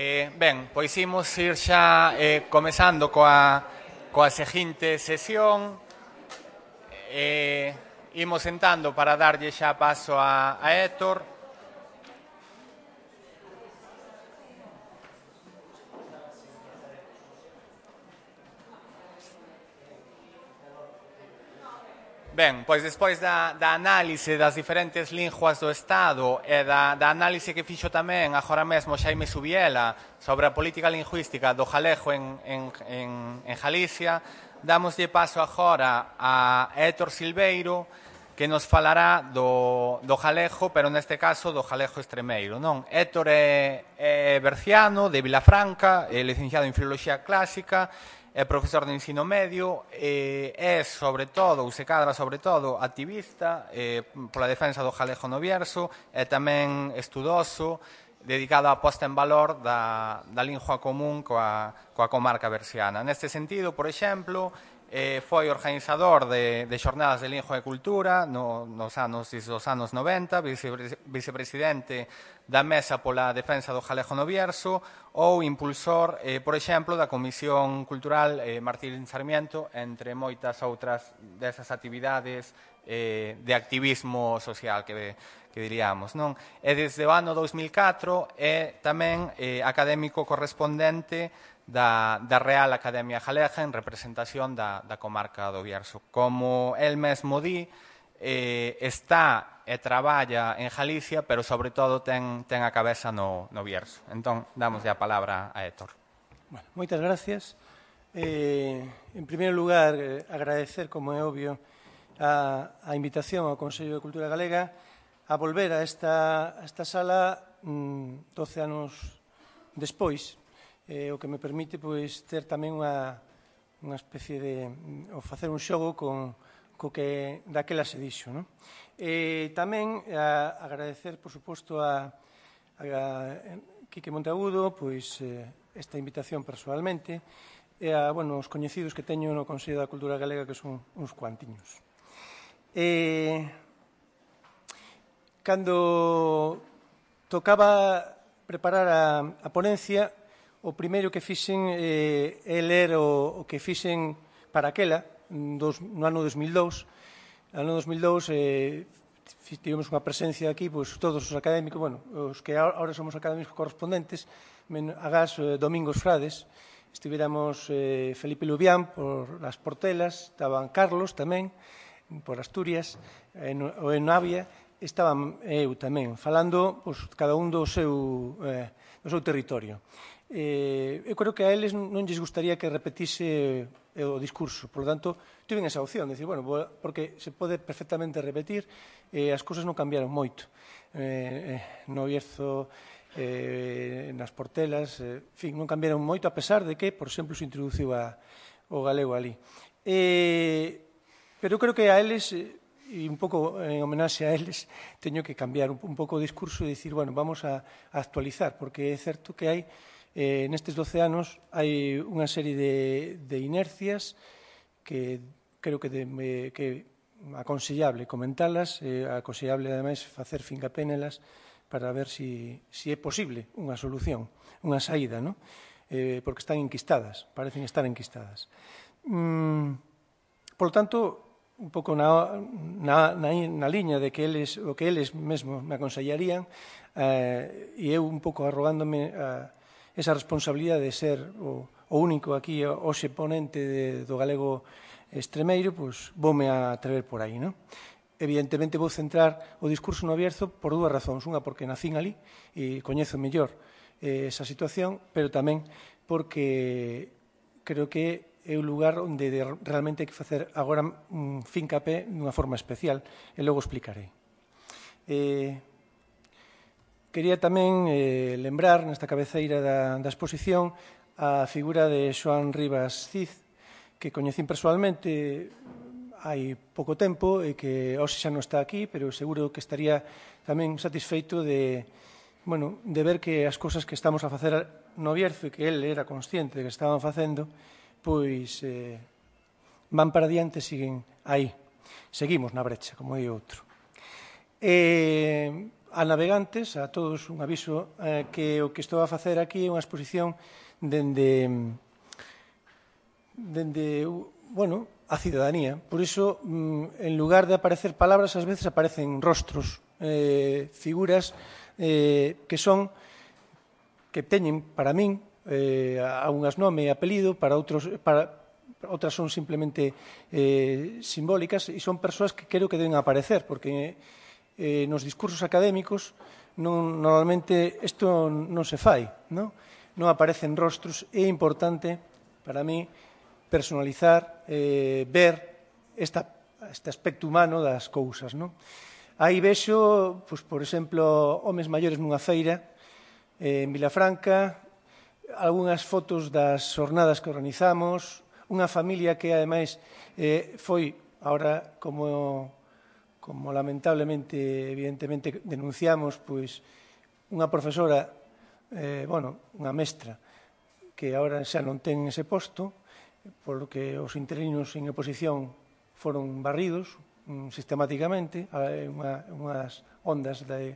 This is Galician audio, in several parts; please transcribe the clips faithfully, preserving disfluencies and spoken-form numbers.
Eh, ben, pois imos ir xa eh, comezando coa, coa seguinte sesión. Eh, imos sentando para darlle xa paso a, a Héctor. Ben, pois despois da, da análise das diferentes linguas do Estado e da, da análise que fixo tamén agora mesmo Xaime Subiela sobre a política lingüística do galego en, en, en, en Galicia, damoslle paso agora a Héctor Silveiro, que nos falará do, do galego, pero neste caso do galego extremeiro. Non? Héctor é, é berciano, de Vilafranca, é licenciado en Filoloxía Clásica, é profesor de ensino medio, eh, é sobre todo, ou se cadra sobre todo, activista eh, pola defensa do galego no Bierzo, e tamén estudoso, dedicado á posta en valor da, da lingua común coa, coa comarca berciana. Neste sentido, por exemplo, eh, foi organizador de, de xornadas de lingua e cultura no, nos anos, dos anos noventa, vice, vicepresidente da Mesa pola Defensa do Galego no Bierzo ou impulsor, eh, por exemplo, da Comisión Cultural eh, Martín Sarmiento, entre moitas outras desas actividades eh, de activismo social que, que diríamos. Non? E desde o ano dous mil catro é tamén eh, académico correspondente da, da Real Academia Galega en representación da, da comarca do Bierzo. Como el mesmo di, eh, está e traballa en Galicia, pero sobre todo ten, ten a cabeza no, no Bierzo. Entón, damos a palabra a Héctor. Bueno, moitas gracias. Eh, en primeiro lugar, eh, agradecer, como é obvio, a, a invitación ao Consello de Cultura Galega a volver a esta, a esta sala mm, doce anos despois, eh, o que me permite pois, ter tamén unha, unha especie de... ou facer un xogo con co que daquela se dixo. Non? E tamén a, agradecer, por suposto, a, a, a Quique Monteagudo pois, eh, esta invitación personalmente e a bueno, os coñecidos que teño no Consello da Cultura Galega, que son uns cuantiños. E, cando tocaba preparar a, a ponencia, o primeiro que fixen eh, é ler o, o que fixen para aquela, Dos, no ano dos mil dous. No ano dos mil dous eh, tivemos unha presencia aquí, pois, todos os académicos, bueno, os que ahora somos académicos correspondentes, agás eh, Domingos Frades, estivéramos eh, Felipe Lubián por las Portelas, estaban Carlos tamén, por Asturias, en, o en Navia, estaban eu tamén, falando pois, cada un do seu, eh, do seu territorio. Eh, eu creo que a eles non lles gustaría que repetise o discurso, por lo tanto, tiven esa opción de decir, bueno, porque se pode perfectamente repetir, eh, as cousas non cambiaron moito. Eh, eh, no Bierzo, eh, nas Portelas, eh, en fin, non cambiaron moito, a pesar de que, por exemplo, se introduciu a, o galego ali. Eh, pero eu creo que a eles, e un pouco en homenaxe a eles, teño que cambiar un, un pouco o discurso e dicir, bueno, vamos a, a actualizar, porque é certo que hai Eh, nestes doce anos hai unha serie de, de inercias que creo que, de, me, que aconsellable comentalas, eh, aconsellable ademais facer fincapé nelas para ver si, si é posible unha solución, unha saída, ¿no? eh, porque están enquistadas, parecen estar enquistadas. Mm, por lo tanto, un pouco na, na, na, na liña de que eles, o que eles mesmos me aconsellarían, eh, e eu un pouco arrogándome a esa responsabilidade de ser o, o único aquí hoxe ponente de, do galego extremeiro, pois voume a atrever por aí, non? Evidentemente vou centrar o discurso no Bierzo por dúas razóns. Unha, porque nacín ali e coñezo mellor eh, esa situación, pero tamén porque creo que é un lugar onde de, realmente hai que facer agora un fincapé dunha forma especial, e logo explicarei. Eh, Quería tamén eh, lembrar nesta cabeceira da, da exposición a figura de Xoán Rivas Cid, que coñecín persoalmente hai pouco tempo e que hoxe xa non está aquí, pero seguro que estaría tamén satisfeito de, bueno, de ver que as cousas que estamos a facer no Bierzo e que ele era consciente de que estaban facendo, pois eh, van para diante, siguen aí. Seguimos na brecha, como di outro. E a navegantes, a todos un aviso eh, que o que estou a facer aquí é unha exposición dende, dende bueno, a cidadanía. Por iso, en lugar de aparecer palabras, ás veces aparecen rostros, eh, figuras eh, que son, que teñen para min, eh, algunhas nome e apelido, para outros, para outras son simplemente eh, simbólicas, e son persoas que creo que deben aparecer, porque eh, nos discursos académicos non, normalmente isto non se fai, non? Non aparecen rostros. É importante para mí personalizar, eh, ver esta, este aspecto humano das cousas, non? Aí vexo, pois, por exemplo, homes maiores nunha feira eh, en Vilafranca, algunhas fotos das xornadas que organizamos, unha familia que, ademais, eh, foi, agora, como, como lamentablemente, evidentemente, denunciamos, pois, unha profesora, eh, bueno, unha mestra, que agora xa non ten ese posto, polo que os interinos en oposición foron barridos um, sistemáticamente, unha, unhas ondas de,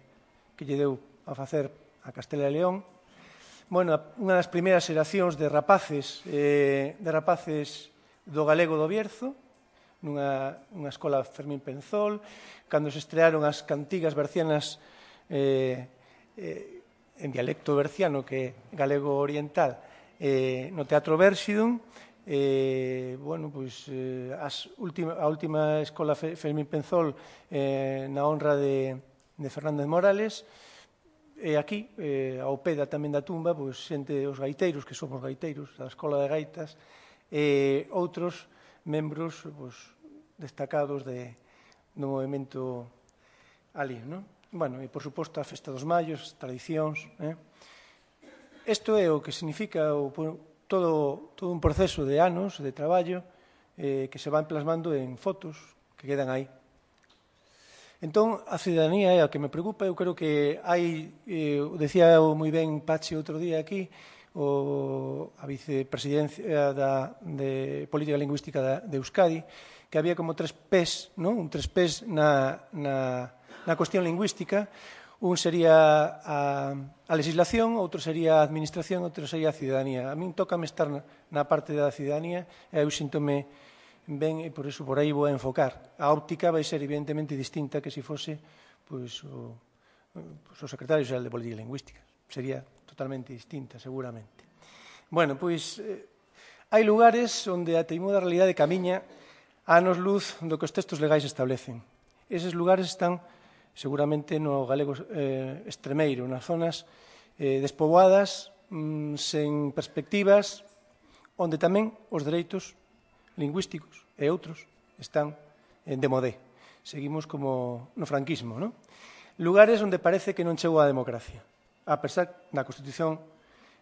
que lle deu a facer a Castela e León. Bueno, unha das primeiras xeracións de rapaces, eh, de rapaces do galego do Bierzo, nunha, nunha escola Fermín Penzol, cando se estrearon as cantigas bercianas eh, eh, en dialecto berciano, que é galego oriental, eh, no Teatro Bérxidon. Eh, bueno, pois, eh, as última, a última escola Fermín Penzol eh, na honra de, de Fernández Morales. E aquí, eh, ao pé da tamén da tumba, pois, xente, os gaiteiros, que somos gaiteiros, da Escola de Gaitas, e outros membros pois, destacados de, do movimento ali, non? Bueno, e, por suposto, a Festa dos Mallos, tradicións. Eh? Isto é o que significa o, todo, todo un proceso de anos de traballo eh, que se van plasmando en fotos que quedan aí. Entón, a cidadanía é a que me preocupa. Eu creo que hai, eh, decía moi ben Pachi outro día aquí, o, a vicepresidencia da, de Política Lingüística da, de Euskadi, que había como tres pés, non? Un tres pés na, na, na cuestión lingüística. Un sería a, a legislación, outro sería a administración, outro sería a cidadanía. A min tócame estar na, na parte da cidadanía e eu síntome ben, e por iso por aí vou a enfocar. A óptica vai ser evidentemente distinta que se fose pois, o, pois, o secretario xeral de Política Lingüística. Sería totalmente distinta, seguramente. Bueno, pois, eh, hai lugares onde a teimuda realidade camiña a anos luz do que os textos legais establecen. Eses lugares están seguramente no galego eh, extremeiro, nas zonas eh, despoboadas, mm, sen perspectivas, onde tamén os dereitos lingüísticos e outros están de modé. Seguimos como no franquismo, non? Lugares onde parece que non chegou a democracia, a pesar da Constitución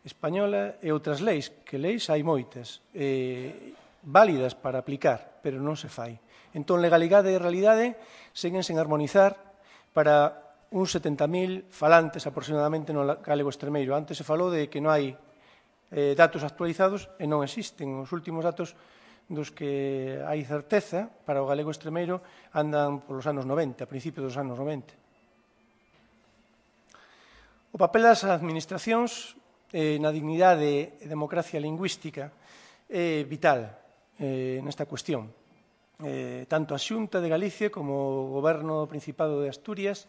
española e outras leis, que leis hai moitas, eh, válidas para aplicar, pero non se fai. Entón, legalidade e realidade seguen sen armonizar para uns setenta mil falantes aproximadamente no galego extremeiro. Antes se falou de que non hai eh, datos actualizados e non existen. Os últimos datos dos que hai certeza para o galego extremeiro andan polos anos noventa, a principios dos anos noventa. O papel das administracións eh, na dignidade e democracia lingüística é vital eh, nesta cuestión. Eh, tanto a Xunta de Galicia como o Goberno do Principado de Asturias,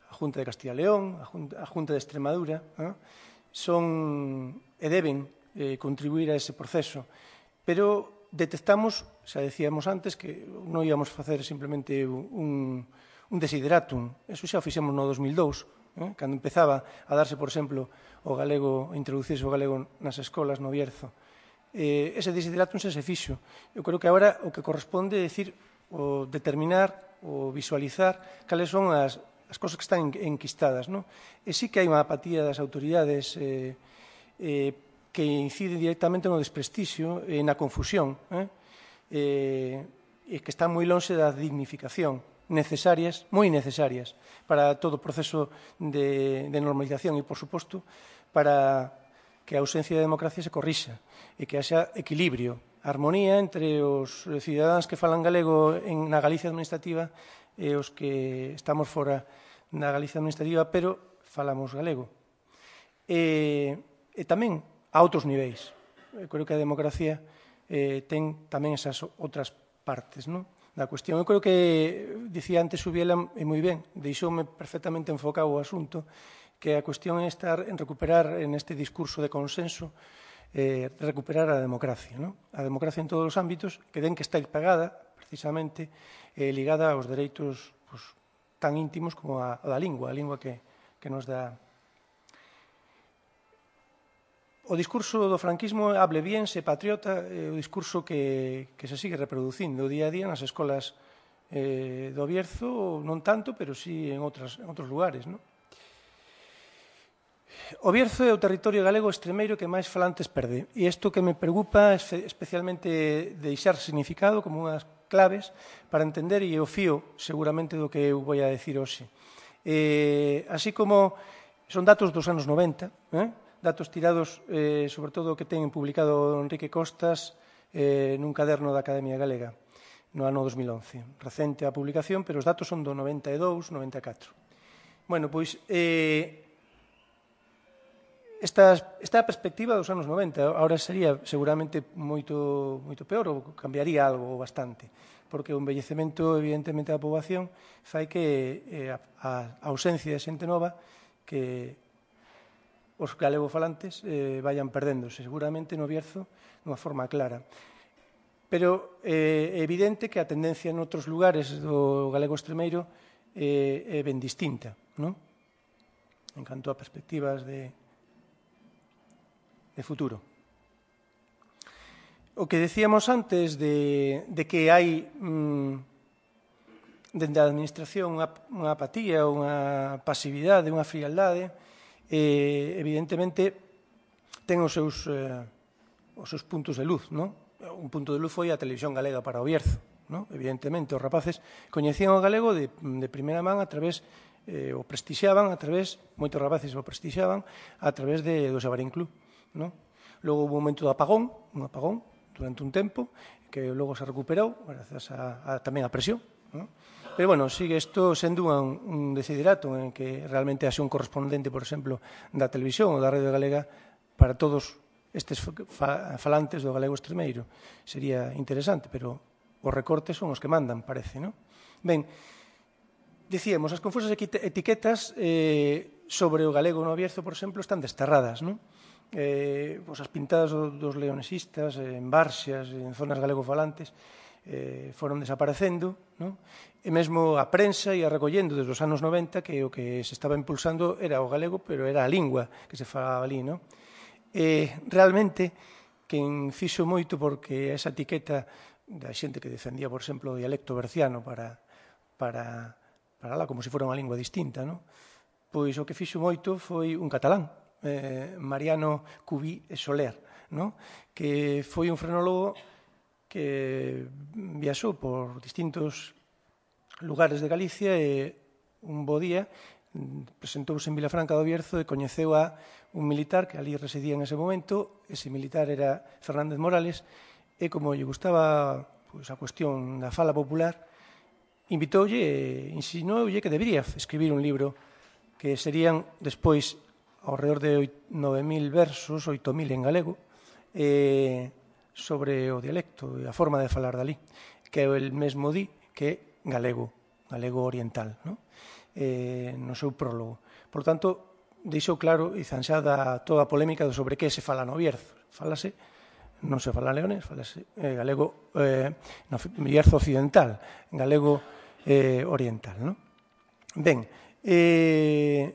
a Junta de Castilla e León, a Junta, a Junta de Extremadura, eh, son e deben eh, contribuir a ese proceso. Pero detectamos, xa decíamos antes, que non íamos facer simplemente un, un desideratum. Eso xa o fixemos no dos mil dous, eh? Cando empezaba a darse, por exemplo, o galego, a introducirse o galego nas escolas no Bierzo. Eh, ese desideratum xa se fixo. Eu creo que agora o que corresponde é decir, o determinar, o visualizar cales son as, as cosas que están enquistadas, non? E sí que hai unha apatía das autoridades eh, eh, que incide directamente no desprestixio e na confusión, eh? Eh, e que están moi lonxe da dignificación, necesarias, moi necesarias, para todo o proceso de, de normalización e, por suposto, para que a ausencia de democracia se corrixa e que haxa equilibrio, armonía entre os cidadáns que falan galego en, na Galicia administrativa e os que estamos fora na Galicia administrativa, pero falamos galego. E, e tamén a outros niveis. Eu creo que a democracia eh, ten tamén esas outras partes, non? Da cuestión. Eu creo que, dicía antes Subiela, e moi ben, deixoume perfectamente enfocado o asunto, que a cuestión é estar en recuperar en este discurso de consenso, eh, recuperar a democracia, non? A democracia en todos os ámbitos, que den que está pagada, precisamente, eh, ligada aos dereitos pues, tan íntimos como a, a da lingua, a lingua que, que nos dá. O discurso do franquismo, hable bien, se patriota, é o discurso que, que se sigue reproducindo día a día nas escolas eh, do Bierzo, non tanto, pero sí en, outras, en outros lugares. Non? O Bierzo é o territorio galego extremeiro que máis falantes perde. E isto que me preocupa é especialmente deixar significado como unhas claves para entender e o fío seguramente do que eu vou a decir hoxe. Eh, así como son datos dos anos noventa, eh? datos tirados, eh, sobre todo, que ten publicado Enrique Costas eh, nun caderno da Academia Galega no ano dos mil once. Recente a publicación, pero os datos son do noventa e dous, noventa e catro. Bueno, pois, eh, esta, esta perspectiva dos anos noventa, agora sería seguramente moito, moito peor, ou cambiaría algo bastante, porque o envellecemento, evidentemente, da poboación fai que eh, a, a ausencia de xente nova que os galegofalantes eh, vayan perdéndose, seguramente no Bierzo, dunha forma clara. Pero eh, é evidente que a tendencia en outros lugares do galego extremeiro eh, é ben distinta, non? En canto a perspectivas de, de futuro. O que decíamos antes de, de que hai mmm, dende a administración unha, unha apatía, unha pasividade, unha frialdade, Eh, evidentemente ten os seus, eh, os seus puntos de luz, non? Un punto de luz foi a televisión galega para o Bierzo, non? Evidentemente os rapaces coñecían o galego de, de primeira man a través, eh, o prestixiaban a través, moitos rapaces o prestixiaban a través de, do Xabarín Club, non? Logo houve un momento de apagón, un apagón durante un tempo, que logo se recuperou, grazas a, a, tamén a presión, non? Pero, bueno, sigue isto sendo un, un desiderato en que realmente haxe un correspondente, por exemplo, da televisión ou da radio galega para todos estes fa falantes do galego extremeiro. Sería interesante, pero os recortes son os que mandan, parece, non? Ben, dicíamos, as confusas etiquetas eh, sobre o galego no Bierzo, por exemplo, están desterradas, non? Eh, pues as pintadas dos leonesistas en Barxias, en zonas galegofalantes, eh, foron desaparecendo, non? E mesmo a prensa ia recollendo desde os anos noventa que o que se estaba impulsando era o galego, pero era a lingua que se falaba ali, non? E realmente, quen fixo moito porque esa etiqueta da xente que defendía, por exemplo, o dialecto berciano para, para, para lá como se fora unha lingua distinta, non? Pois o que fixo moito foi un catalán, eh, Mariano Cubí e Soler, non? Que foi un frenólogo que viaxou por distintos lugares de Galicia e un bo día presentouse en Vilafranca do Bierzo e coñeceu a un militar que ali residía en ese momento. Ese militar era Fernández Morales e, como lle gustaba pois, a cuestión da fala popular, invitoulle e insinoulle que debería escribir un libro que serían despois ao redor de nove mil versos, oito mil en galego, e sobre o dialecto e a forma de falar dali, que é o mesmo di que galego, galego oriental, non? Eh, no seu prólogo. Por tanto, deixou claro e zanxada toda a polémica sobre que se fala no Bierzo. Fálase, non se fala leonés, falase eh, galego eh, no Bierzo occidental, galego eh, oriental, non? Ben, eh,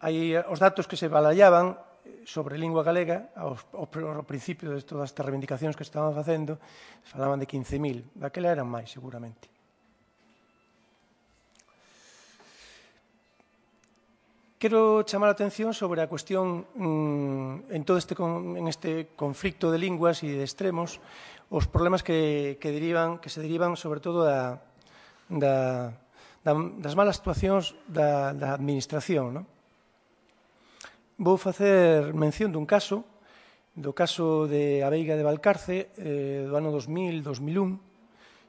hai os datos que se balallaban sobre lingua galega, ao, ao, ao principio de todas estas reivindicacións que estaban facendo, falaban de quince mil, daquela eran máis, seguramente. Quero chamar a atención sobre a cuestión mmm, en todo este, en este conflicto de linguas e de extremos, os problemas que, que, derivan, que se derivan sobre todo da, da, da, das malas actuacións da, da administración, non? Vou facer mención dun caso, do caso de a Veiga de Valcarce, eh, do ano dos mil, dos mil un,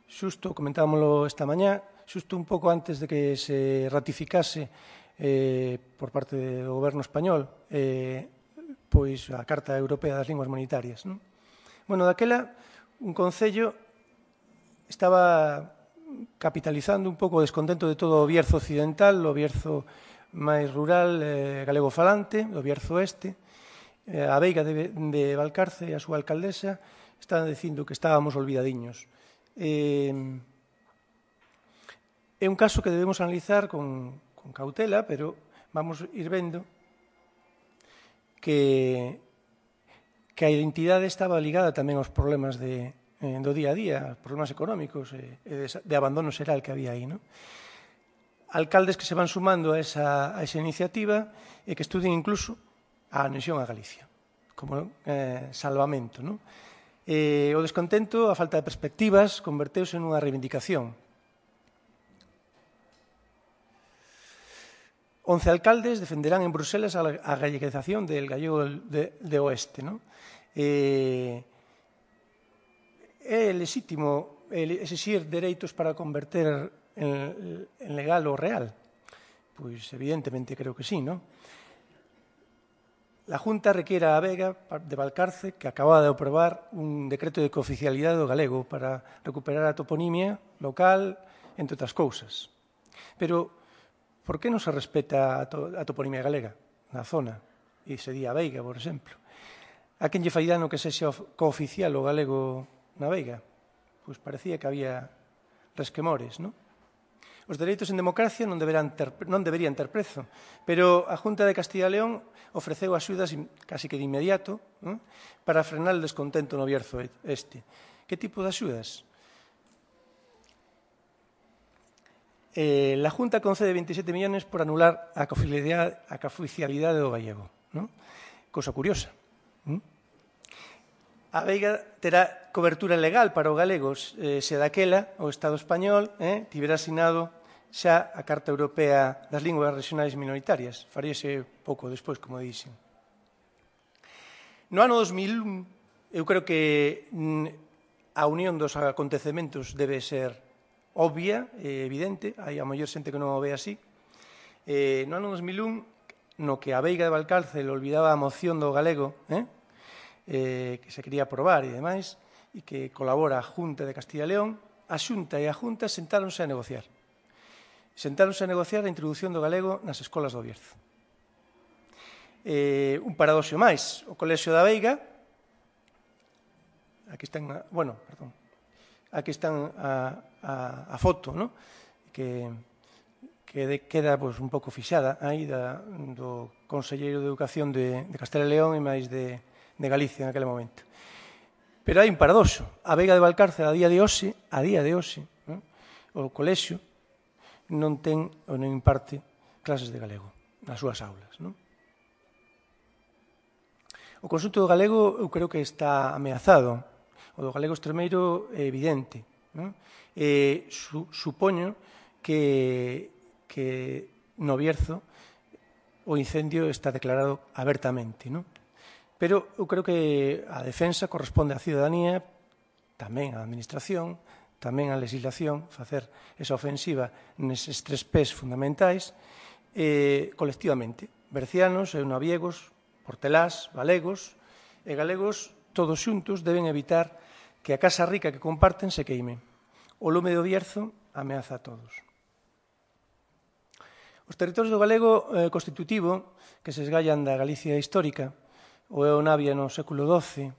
xusto, comentámoslo esta mañá, xusto un pouco antes de que se ratificase eh, por parte do goberno español eh, pois a Carta Europea das Linguas Minoritarias. Non? Bueno, daquela, un concello estaba capitalizando un pouco o descontento de todo o Bierzo occidental, o Bierzo máis rural, eh, galego falante, o Bierzo oeste. Eh, a Veiga de, de Valcarce e a súa alcaldesa estaban dicindo que estábamos olvidadiños. Eh, é un caso que debemos analizar con, con cautela, pero vamos ir vendo que, que a identidade estaba ligada tamén aos problemas de, eh, do día a día, aos problemas económicos e, e de, de abandono xeral que había aí. Non? Alcaldes que se van sumando a esa, a esa iniciativa e que estudien incluso a anexión a Galicia, como eh, salvamento. Non? Eh, o descontento, a falta de perspectivas, converteuse nunha reivindicación. Once alcaldes defenderán en Bruselas a galleguización del gallego de, de oeste. ¿No? Eh, é legítimo exigir dereitos para converter en, en legal o real? Pois evidentemente creo que sí, non? La Junta requiere a Vega de Valcarce que acababa de aprobar un decreto de cooficialidade do galego para recuperar a toponimia local, entre outras cousas. Pero, por que non se respeta a, to a toponimia galega na zona? E se di a Veiga, por exemplo. A quen lle fai dano que sexa cooficial o galego na Veiga? Pois parecía que había resquemores, non? Os dereitos en democracia non, ter, non deberían ter prezo, pero a Junta de Castilla e León ofreceu axudas casi que de inmediato, ¿no? Para frenar o descontento no Bierzo este. Que tipo de axudas? Eh, la Junta concede veintisiete millones por anular a cooficialidade, a cooficialidade do gallego. ¿No? Cosa curiosa. ¿no? A Veiga terá cobertura legal para os galegos eh, se daquela o Estado español eh, tivera asinado xa a Carta Europea das Linguas Regionais Minoritarias. Faríase pouco despois, como dixen. No ano dos mil un, eu creo que a unión dos acontecementos debe ser obvia e evidente. Hai a mellor xente que non o ve así. Eh, no ano dos mil un, no que a Veiga de Valcarce le olvidaba a moción do galego, eh, eh, que se quería aprobar e demais, e que colabora a Junta de Castilla e León, a Xunta e a Junta sentáronse a negociar. Sentáronse a negociar a introducción do galego nas escolas do Bierzo. Eh, un paradoxo máis, o Colexio da Veiga, aquí están, bueno, perdón, aquí están a, a, a foto, ¿no? que, que de, queda pues, un pouco fixada aí da, do Conselleiro de Educación de, de Castela e León e máis de, de Galicia en aquele momento. Pero hai un paradoxo. A Veiga de Valcarce, a día de hoxe, a día de hoxe, ¿no? O colexio non ten ou non imparte clases de galego nas súas aulas. Non? O conxunto do galego eu creo que está ameazado. O do galego extremeiro é evidente. Non? E su, supoño que, que no Bierzo o incendio está declarado abertamente. Non? Pero eu creo que a defensa corresponde á ciudadanía, tamén á administración, tamén a legislación, facer esa ofensiva neses tres pés fundamentais, eh, colectivamente. Bercianos, eunaviegos, portelás, galegos e galegos, todos xuntos, deben evitar que a casa rica que comparten se queime. O lume do Bierzo ameaza a todos. Os territorios do galego eh, constitutivo, que se esgallan da Galicia histórica, o é o Navia no século doce,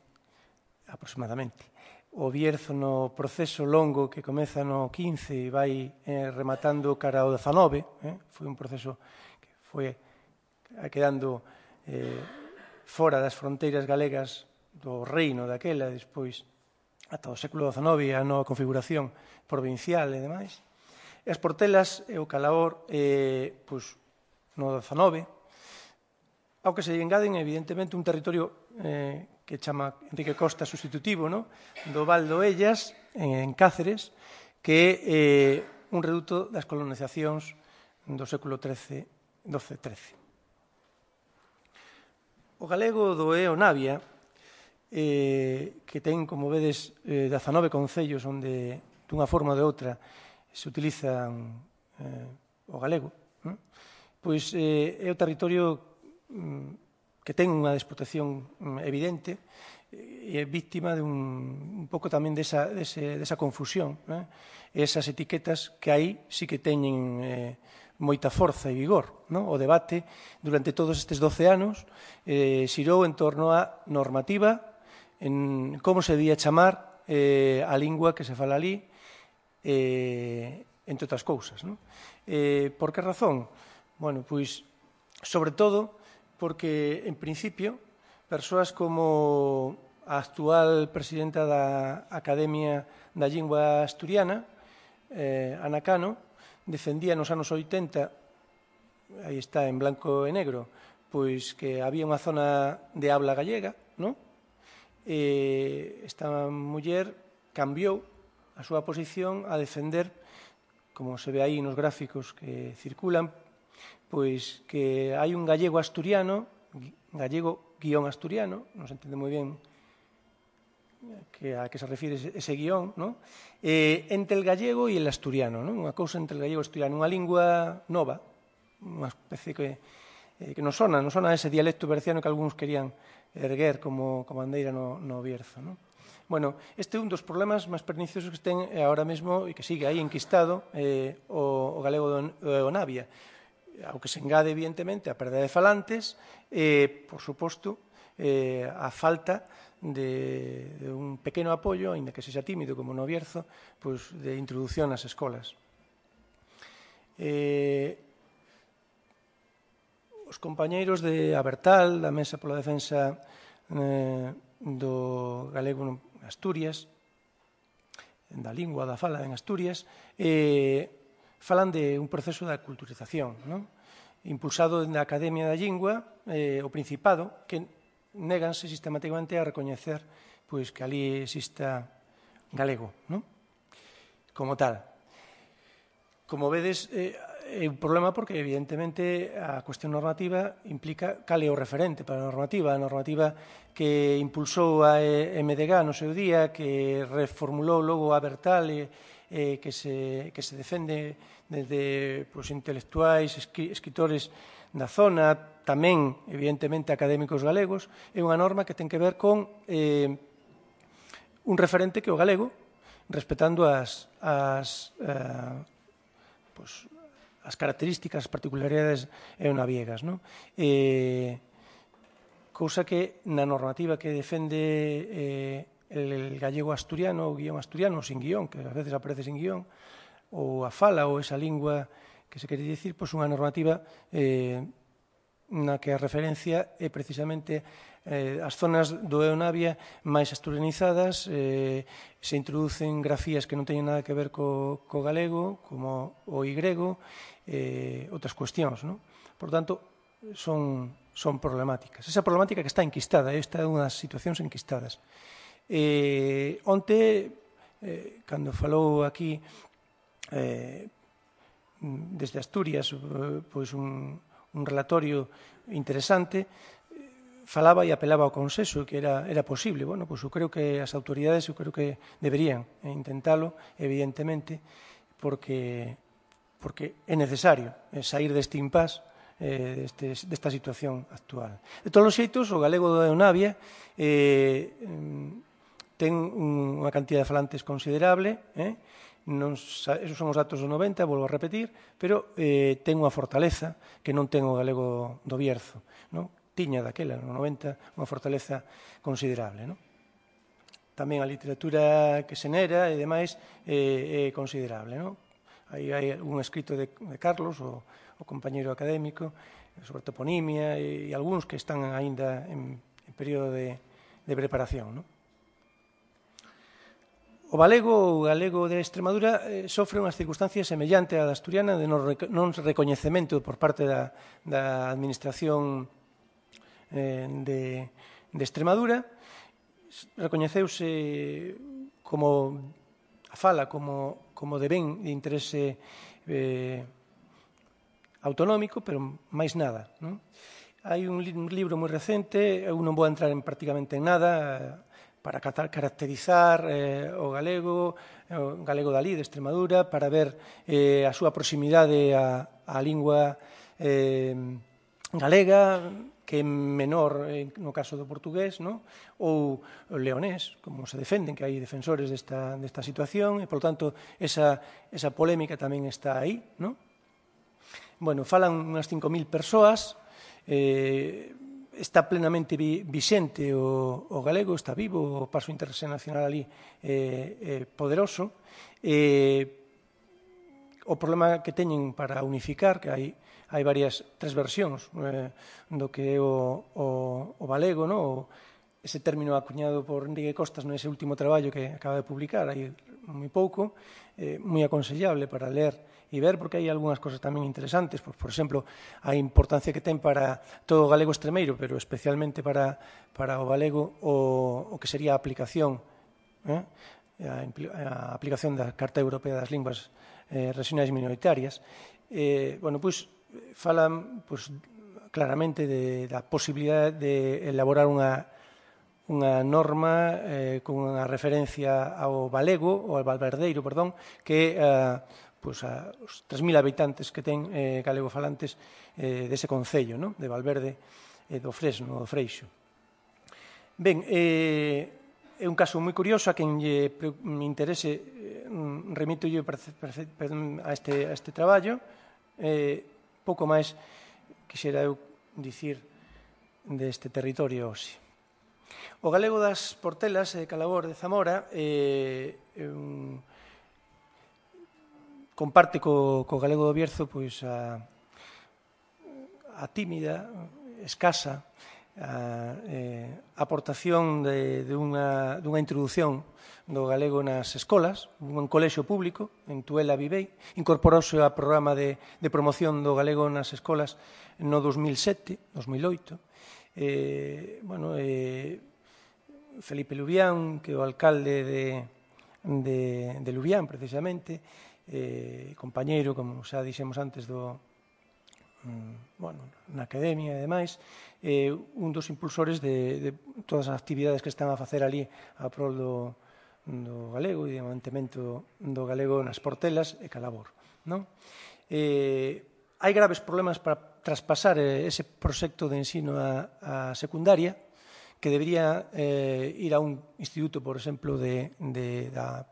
aproximadamente, o Bierzo no proceso longo que comeza no quince e vai eh, rematando cara ao dezanove, eh? foi un proceso que foi quedando eh, fora das fronteiras galegas do reino daquela, despois ata o século dezanove a nova configuración provincial e demais. E as Portelas e o Calahor eh, pois, no dezanove, ao que se engaden evidentemente un territorio eh, que chama Enrique Costa sustitutivo, no? do Val do Ellas, en Cáceres, que é eh, un reduto das colonizacións do século trece, doce trece. O galego do é o Navia, eh, que ten, como vedes, eh, dezanove concellos onde, dunha forma ou de outra, se utilizan eh, o galego, non? Pois eh, é o territorio mm, que ten unha desprotección mm, evidente e é víctima de un, un pouco tamén desa, dese, desa confusión. Eh? Esas etiquetas que aí sí que teñen eh, moita forza e vigor. Non? O debate durante todos estes doce anos eh, xirou en torno á normativa, en como se debía chamar eh, a lingua que se fala ali, eh, entre outras cousas. Non? Eh, por que razón? Bueno, pois, sobre todo, porque, en principio, persoas como a actual presidenta da Academia da Lingua Asturiana, eh, Ana Cano, defendía nos anos oitenta, aí está en blanco e negro, pois que había unha zona de habla gallega, non? E esta muller cambiou a súa posición a defender, como se ve aí nos gráficos que circulan, pois que hai un gallego asturiano, gallego guión asturiano, non se entende moi ben que a que se refire ese guión, non? Eh, entre el gallego e el asturiano, non? Unha cousa entre el gallego e o asturiano, unha lingua nova, unha especie que, eh, que non sona, non sona ese dialecto berciano que algúns querían erguer como, como bandeira no, no Bierzo, non? Bueno, este é un dos problemas máis perniciosos que ten agora mesmo e que sigue aí enquistado eh, o, o galego do, do Navia, ao que se engade, evidentemente, a perda de falantes e, por suposto, eh, a falta de, de un pequeno apoio, ainda que sexa tímido como no Bierzo, pois, de introducción nas escolas. Eh, os compañeiros de Abertal, da Mesa pola Defensa eh, do galego en Asturias, da lingua, da fala en Asturias, eh, falan de un proceso de aculturización, non? Impulsado na Academia da Lingua, eh, o Principado, que néganse sistematicamente a recoñecer pois, que ali exista galego, non? Como tal. Como vedes, eh, é un problema porque, evidentemente, a cuestión normativa implica cal é o referente para a normativa. A normativa que impulsou a M D G no seu día, que reformulou logo a Abertal e eh, que, se, que se defende desde pues, intelectuais, escritores da zona, tamén, evidentemente, académicos galegos, é unha norma que ten que ver con eh, un referente que é o galego, respetando as, as, eh, pues, as características, as particularidades eonaviegas. Non? Eh, cousa que na normativa que defende eh, el gallego asturiano, o guión asturiano, sin guión, que ás veces aparece sin guión, ou a fala, ou esa lingua que se quere dicir, pois unha normativa eh, na que a referencia é precisamente eh, as zonas do Eonavia máis asturianizadas, eh, se introducen grafías que non teñen nada que ver co, co galego, como o y, eh, outras cuestións. Non? Por tanto, son, son problemáticas. Esa problemática que está enquistada, esta é unha das situacións enquistadas. Eh, onte, eh, cando falou aquí eh, desde Asturias, eh, pois un, un relatorio interesante, falaba e apelaba ao consenso, que era, era posible. Bueno, pois eu creo que as autoridades, eu creo que deberían intentalo, evidentemente, porque, porque é necesario sair deste impasse, eh, deste, desta situación actual. De todos os xeitos, o galego do Eonavia eh, ten unha cantidad de falantes considerable, eh? non, esos son os datos do noventa, volvo a repetir, pero eh, ten unha fortaleza que non ten o galego do Bierzo. Non? Tiña daquela, no noventa, unha fortaleza considerable. Non? Tamén a literatura que se nera e demais eh, é considerable. Non? Aí hai un escrito de, de Carlos, o, o compañeiro académico, sobre toponimia e, e algúns que están aínda en, en período de, de preparación. Non? O galego, o galego de Extremadura eh, sofre unhas circunstancias semellantes á da asturiana de non recoñecemento por parte da, da administración eh, de, de Extremadura. Recoñeceuse como a fala como, como de ben de interese eh, autonómico, pero máis nada. Non? Hai un, un libro moi recente, eu non vou entrar en prácticamente en nada, para caracterizar eh, o galego, o galego dali, de Extremadura, para ver eh, a súa proximidade á, á lingua eh, galega, que é menor eh, no caso do portugués, no? Ou o leonés, como se defenden, que hai defensores desta, desta situación, e, por tanto, esa, esa polémica tamén está aí, no? Bueno, falan unhas cinco mil persoas, eh, está plenamente vi, vixente o, o galego, está vivo, o paso internacional ali eh, eh, poderoso. Eh, o problema que teñen para unificar, que hai, hai varias, tres versións eh, do que é o, o, o galego, no? O, ese término acuñado por Enrique Costas nese último traballo que acaba de publicar, hai moi pouco, eh, moi aconsellable para ler e ver, porque hai algunhas cosas tamén interesantes, por, por exemplo, a importancia que ten para todo o galego extremeiro, pero especialmente para, para o galego o, o que sería a aplicación, eh? a, a aplicación da Carta Europea das Linguas eh, Regionais Minoritarias. Eh, bueno, pois, falan pois, claramente de, da posibilidade de elaborar unha unha norma eh, con unha referencia ao galego, ou ao valverdeiro, perdón, que eh, pues, a, os tres mil habitantes que ten eh, galego-falantes eh, dese concello, no? De Valverde e eh, do Fresno, do Freixo. Ben, eh, é un caso moi curioso, a quen lle me interese, eh, remito yo a este, a este traballo. Eh, pouco máis quixera eu dicir deste territorio hoxe. O galego das Portelas de Calabor de Zamora eh, un, comparte co, co galego do Bierzo pois, a, a tímida, escasa, a eh, aportación de, de unha, dunha introducción do galego nas escolas, un colexio público, en Tuela Vivei, incorporouse ao programa de, de promoción do galego nas escolas no dos mil sete, dos mil oito. Eh, bueno, eh, Felipe Lubián, que é o alcalde de, de, de Lubián, precisamente, eh, compañeiro, como xa dixemos antes, do, mm, bueno, na academia e demais, eh, un dos impulsores de, de todas as actividades que están a facer ali a prol do, do galego e de mantemento do galego nas Portelas e Calabor, non? Eh, hai graves problemas para traspasar ese proxecto de ensino a, a secundaria, que debería eh, ir a un instituto, por exemplo, de, de, da,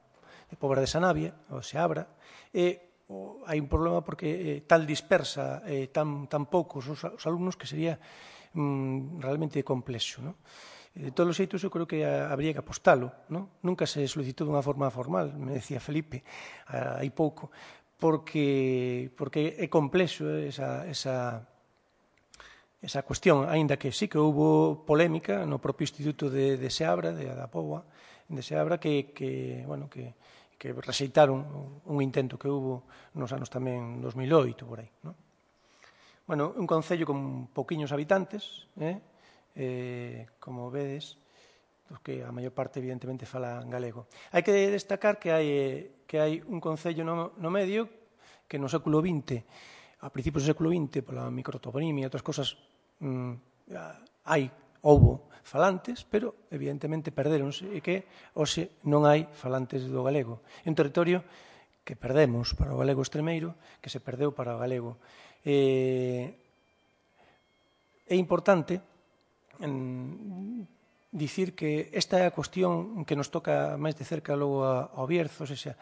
de Pobra de Sanabia, o Seabra, e o, hai un problema porque eh, tal dispersa eh, tan, tan poucos os, os alumnos que sería mm, realmente complexo, ¿no? De todos os xeitos, eu creo que habría que apostalo, ¿no? Nunca se solicitou dunha forma formal, me decía Felipe, hai pouco, porque, porque é complexo esa, esa esa cuestión, aínda que sí que houve polémica no propio Instituto de, de Seabra, de da Póvoa, de Seabra, que, que, bueno, que, que rexeitaron un intento que houve nos anos tamén dos mil oito, por aí, non? Bueno, un concello con pouquiños habitantes, eh? Eh, como vedes, pues que a maior parte, evidentemente, fala galego. Hai que destacar que hai, que hai un concello no, no medio que no século vinte, a principios do século vinte, pola microtoponimia e outras cosas, hai, houbo falantes, pero evidentemente perderonse e que hoxe non hai falantes do galego. É un territorio que perdemos para o galego extremeiro, que se perdeu para o galego. É importante dicir que esta é a cuestión que nos toca máis de cerca logo ao Bierzo, ou seja,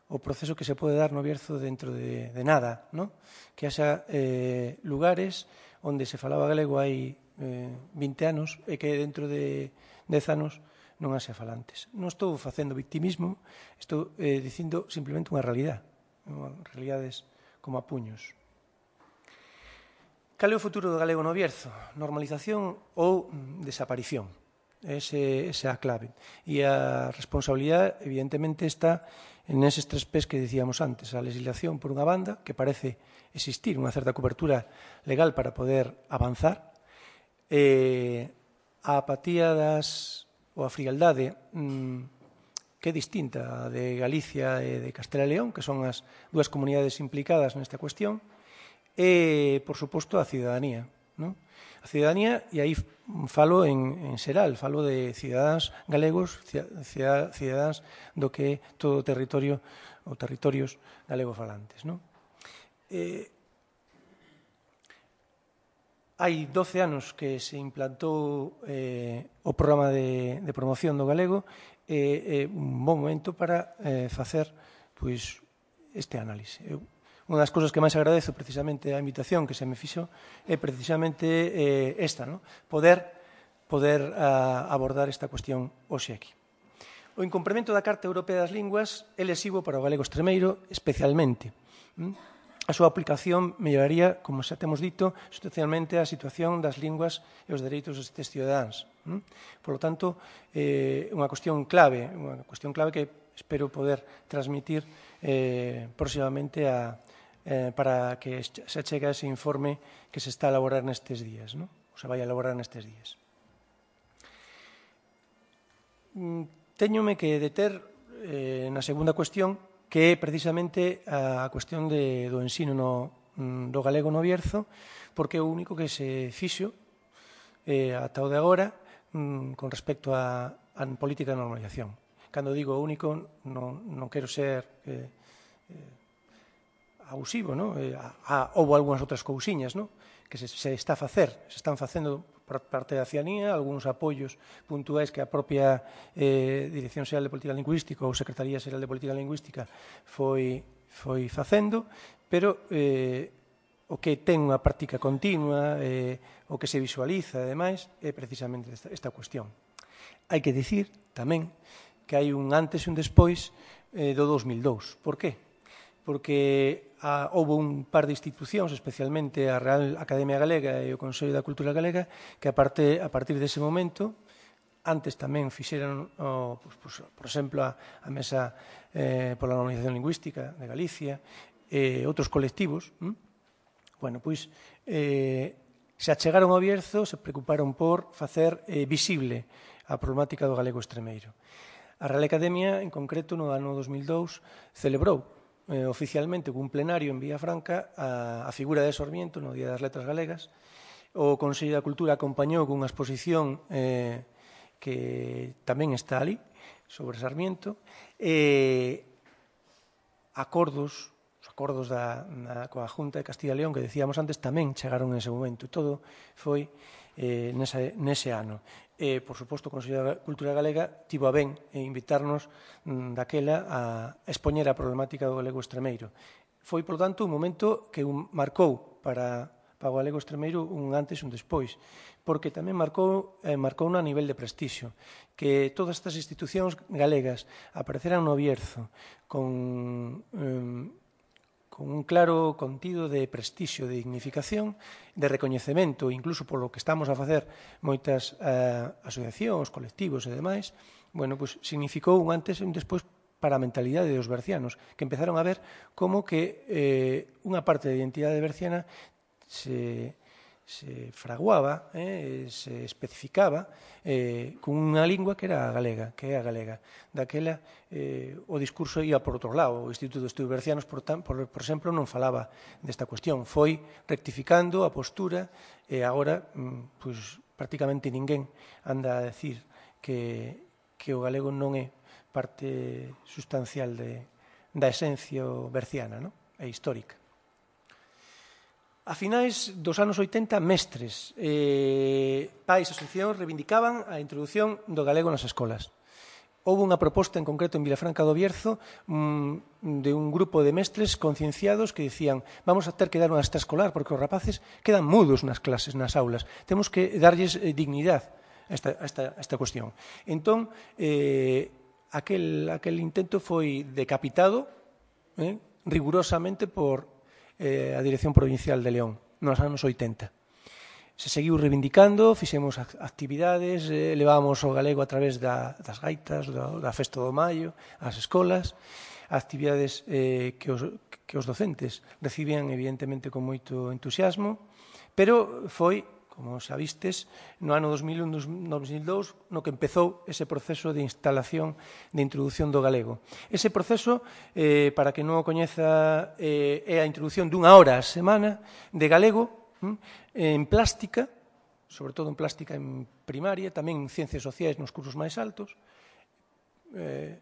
o proceso que se pode dar no Bierzo dentro de, de nada, ¿no? Que haxa eh, lugares onde se falaba galego hai eh, vinte anos e que dentro de dez anos non haxa falantes. Non estou facendo victimismo, estou eh, dicindo simplemente unha realidade, realidades como a puños. Cal é o futuro do galego no Bierzo? Normalización ou desaparición? Ese, esa é a clave. E a responsabilidade, evidentemente, está en eses tres pés que dicíamos antes. A legislación, por unha banda, que parece existir unha certa cobertura legal para poder avanzar. Eh, a apatía das, ou a frialdade mmm, que é distinta a de Galicia e de Castela e León, que son as dúas comunidades implicadas nesta cuestión. E, por suposto, a cidadanía. non? A cidadanía, e aí falo en, en xeral, falo de cidadáns galegos, cidadáns do que é todo o territorio ou territorios galego-falantes, non? Eh, hai doce anos que se implantou eh, o programa de, de promoción do galego e eh, eh, un bon momento para eh, facer pois, este análise. Eu, unha das cousas que máis agradezo precisamente a invitación que se me fixo é precisamente eh, esta, no? poder, poder a, abordar esta cuestión hoxe aquí. O incumprimento da Carta Europea das Linguas é lesivo para o galego extremeiro especialmente. ¿Mm? A súa aplicación melloraría, como xa temos dito, substancialmente a situación das linguas e os dereitos destes cidadáns. Por lo tanto, é unha cuestión clave, unha cuestión clave que espero poder transmitir eh, próximamente a, eh, para que se chegue a ese informe que se está a elaborar nestes días, non? Ou se vai a elaborar nestes días. Téñome que deter eh, na segunda cuestión, que é precisamente a cuestión de, do ensino no, do galego no Bierzo, porque é o único que se fixo eh, ata o de agora mm, con respecto a, a política de normalización. Cando digo único, non, non quero ser eh, eh, abusivo, non? Eh, a, a, houve algunhas outras cousiñas, non? Que se, se está a facer, se están facendo por parte da cianía, algúns apoios puntuais que a propia eh, Dirección Xeral de Política Lingüística ou Secretaría Xeral de Política Lingüística foi, foi facendo, pero eh, o que ten unha práctica continua, eh, o que se visualiza e demais, é precisamente esta, esta cuestión. Hai que dicir tamén que hai un antes e un despois eh, do dos mil dous. Por qué? Porque a, houve un par de institucións, especialmente a Real Academia Galega e o Consello da Cultura Galega, que a, parte, a partir dese momento, antes tamén fixeron, o, pues, pues, por exemplo, a, a Mesa eh, pola Normalización Lingüística de Galicia, e eh, outros colectivos, hm? bueno, pois, eh, se achegaron ao Bierzo, se preocuparon por facer eh, visible a problemática do galego extremeiro. A Real Academia, en concreto, no ano dos mil dous, celebrou Eh, oficialmente un plenario en Villafranca a, a figura de Sarmiento no Día das Letras Galegas. O Consello da Cultura acompañou cunha exposición eh, que tamén está ali sobre Sarmiento e acordos os acordos da, na, coa Junta de Castilla e León que decíamos antes tamén chegaron en ese momento. Todo foi eh, nese, nese ano. E, por suposto, o Consello da Cultura Galega tivo a ben invitarnos mm, daquela a expoñer a problemática do galego extremeiro. Foi, por tanto, un momento que un, marcou para, para o galego extremeiro un antes e un despois, porque tamén marcou, eh, marcou a nivel de prestixio, que todas estas institucións galegas apareceran no Bierzo con... Eh, con un claro contido de prestixio, de dignificación, de recoñecemento, incluso polo que estamos a facer moitas eh, asociacións, colectivos e demais, bueno, pues significou un antes e un despois para a mentalidade dos bercianos, que empezaron a ver como que eh, unha parte da identidade berciana se, se fraguaba, eh, se especificaba eh, con unha lingua que era a galega, que é a galega. Daquela, eh, o discurso ia por outro lado. O Instituto de Estudos Bercianos, por, por, por exemplo, non falaba desta cuestión. Foi rectificando a postura e agora, pues, prácticamente ninguén anda a decir que, que o galego non é parte sustancial de, da esencia berciana, non? É histórica. A finais dos anos oitenta, mestres, eh, pais e asociacións reivindicaban a introducción do galego nas escolas. Houve unha proposta en concreto en Vilafranca do Bierzo mmm, de un grupo de mestres concienciados que dicían vamos a ter que dar unha extraescolar porque os rapaces quedan mudos nas clases, nas aulas. Temos que darlles eh, dignidade a esta, a esta, a esta cuestión. Entón, eh, aquel, aquel intento foi decapitado eh, rigurosamente por eh, a Dirección Provincial de León nos anos oitenta. Se seguiu reivindicando, fixemos actividades, eh, levábamos o galego a través da, das gaitas, da, da Festa do Maio, ás escolas, actividades eh, que, os, que os docentes recibían evidentemente con moito entusiasmo, pero foi, como xa vistes, no ano dos mil un dos mil dous, no que empezou ese proceso de instalación de introducción do galego. Ese proceso, eh, para que non o coñeza, eh, é a introducción dunha hora a semana de galego En plástica, sobre todo en plástica en primaria, tamén en ciencias sociais nos cursos máis altos, eh,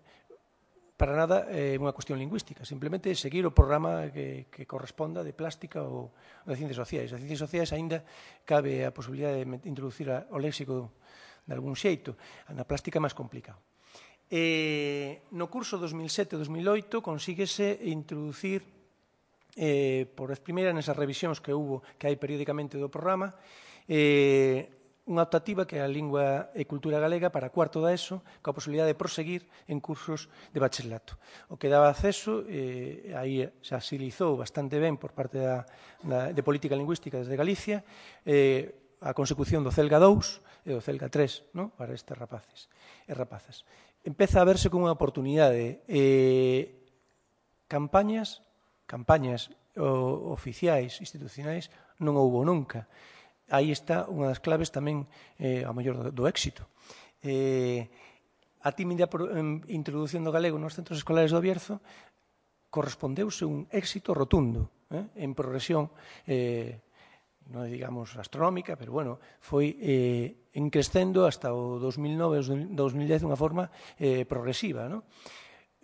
para nada é unha cuestión lingüística, simplemente seguir o programa que, que corresponda de plástica ou de ciencias sociais. As ciencias sociais aínda cabe a posibilidade de introducir a, o léxico de algún xeito, na plástica é máis complicado. E, no curso dos mil sete dos mil oito consíguese introducir eh, por vez primeira nesas revisións que hubo, que hai periódicamente do programa, eh, unha optativa que é a lingua e cultura galega para cuarto da ESO, coa posibilidade de proseguir en cursos de bacharelato. O que daba acceso, eh, aí se agilizou bastante ben por parte da, da, de política lingüística desde Galicia, eh, a consecución do CELGA dous e do CELGA tres, no? Para estes rapaces e rapazas. Empeza a verse como unha oportunidade. Eh, campañas, campañas o, oficiais, institucionais, non houbo nunca. Aí está unha das claves tamén eh, ao mellor do, do éxito. Eh, a tímida introdución do galego nos centros escolares do Bierzo correspondeuse un éxito rotundo, eh, en progresión, eh, non digamos astronómica, pero bueno, foi eh, encrescendo hasta o dos mil nove, dos mil dez de unha forma eh, progresiva, non?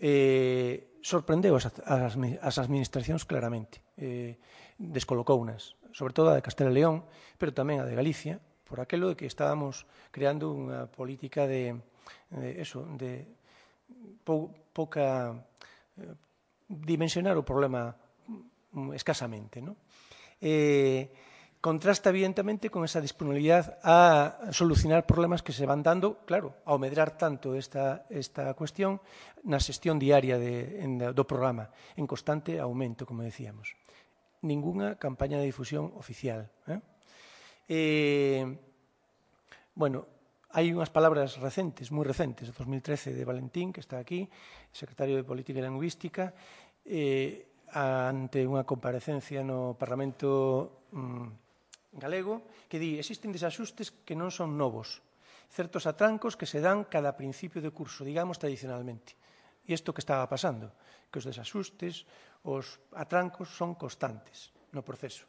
Eh, sorprendeu as, as, as administracións claramente, eh, descolocounas, sobre todo a de Castela e León, pero tamén a de Galicia, por aquelo de que estábamos creando unha política de, de eso, de pou, pouca eh, dimensionar o problema escasamente, ¿no? Eh, contrasta evidentemente con esa disponibilidade a solucionar problemas que se van dando, claro, ao medrar tanto esta, esta cuestión na xestión diaria de, en, do programa, en constante aumento, como decíamos. Ninguna campaña de difusión oficial. Eh? Eh, bueno, hai unhas palabras recentes, moi recentes, de dos mil trece de Valentín, que está aquí, secretario de Política e Lingüística, eh, ante unha comparecencia no Parlamento mm, galego, que di, existen desaxustes que non son novos, certos atrancos que se dan cada principio de curso, digamos tradicionalmente. E isto que estaba pasando, que os desaxustes, os atrancos son constantes no proceso.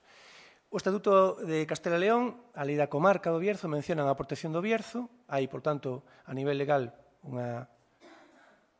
O Estatuto de Castela e León, a lei da comarca do Bierzo, mencionan a protección do Bierzo, hai, por tanto, a nivel legal unha,